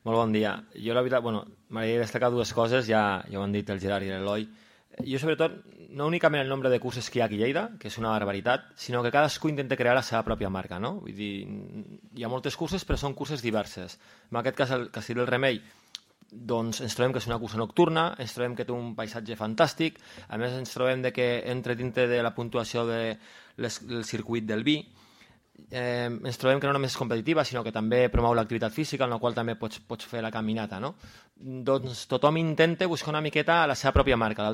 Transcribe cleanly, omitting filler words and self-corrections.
Molt bon dia. Jo, la veritat, m'agradaria destacar dues coses, ja ho han dit el Gerard i l'Eloi. Jo, sobretot, no únicament el nombre de curses que hi ha aquí a Lleida, que és una barbaritat, sinó que cadascú intenta crear la seva pròpia marca, no? Vull dir, hi ha moltes curses, però són curses diverses. En aquest cas, el Castell del Remei, doncs ens trobem que és una cursa nocturna, ens trobem que té un paisatge fantàstic, a més ens trobem que entra dintre de la puntuació del circuit del vi, ens trobem que no només és competitiva, sinó que també promou l'activitat física, en la qual també pots fer la caminata, no? Doncs tothom intenta buscar una miqueta la seva pròpia marca.